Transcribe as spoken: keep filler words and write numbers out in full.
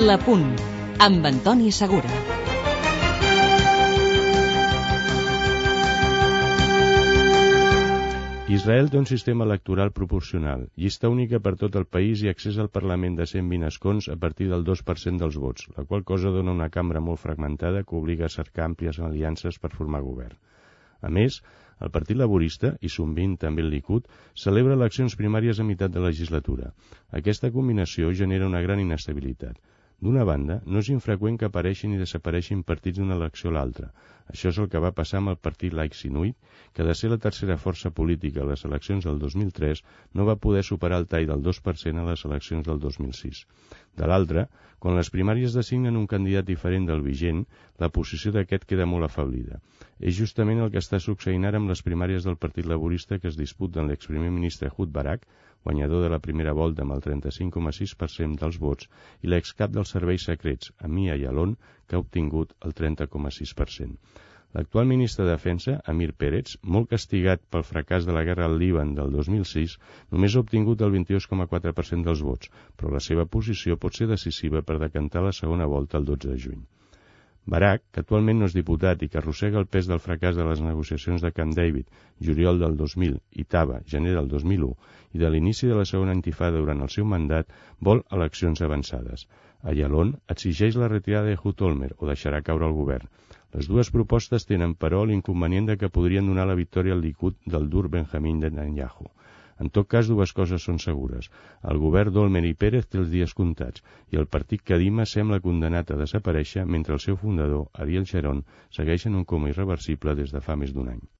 La Punt, amb Antoni Segura. Israel té un sistema electoral proporcional, llista única per tot el país i accés al Parlament de cent vint escons a partir del dos per cent dels vots, la qual cosa dona una cambra molt fragmentada que obliga a cercar àmplies aliances per formar govern. A més, el Partit Laborista, i sovint també el Likud, celebra eleccions primàries a meitat de legislatura. Aquesta combinació genera una gran inestabilitat. D'una banda, no és infreqüent que apareixin i desapareixin partits d'una elecció a l'altra. Això és el que va passar amb el partit laic Sinuit, que de ser la tercera força política a les eleccions del dos mil tres no va poder superar el tall del dos per cent a les eleccions del dos mil sis. De l'altra, quan les primàries designen un candidat diferent del vigent, la posició d'aquest queda molt afablida. És justament el que està succeint ara amb les primàries del Partit Laborista que es disputen l'exprimer ministre Ehud Barak, guanyador de la primera volta amb el trenta-cinc coma sis per cent dels vots, i l'excap dels serveis secrets, Amia Yalon, que ha obtingut el trenta coma sis per cent. L'actual ministre de Defensa, Amir Peretz, molt castigat pel fracàs de la guerra al Líban del dos mil sis, només ha obtingut el vint-i-dos coma quatre per cent dels vots, però la seva posició pot ser decisiva per decantar la segona volta el dotze de juny. Barak, que actualment no és diputat i que arrossega el pes del fracàs de les negociacions de Camp David, juliol del dos mil, i Taba, gener del dos mil u, i de l'inici de la segona intifada durant el seu mandat, vol eleccions avançades. Ayalon exigeix la retirada de Ehud Olmert o deixarà caure el govern. Les dues propostes tenen, però, l'inconvenient de que podrien donar la victòria al Likud del dur Benjamin Netanyahu. En tot cas, dues coses són segures. El govern d'Olmert i Pérez té els dies comptats i el partit Kadima sembla condenat a desaparèixer mentre el seu fundador, Ariel Sharon, segueix en un coma irreversible des de fa més d'un any.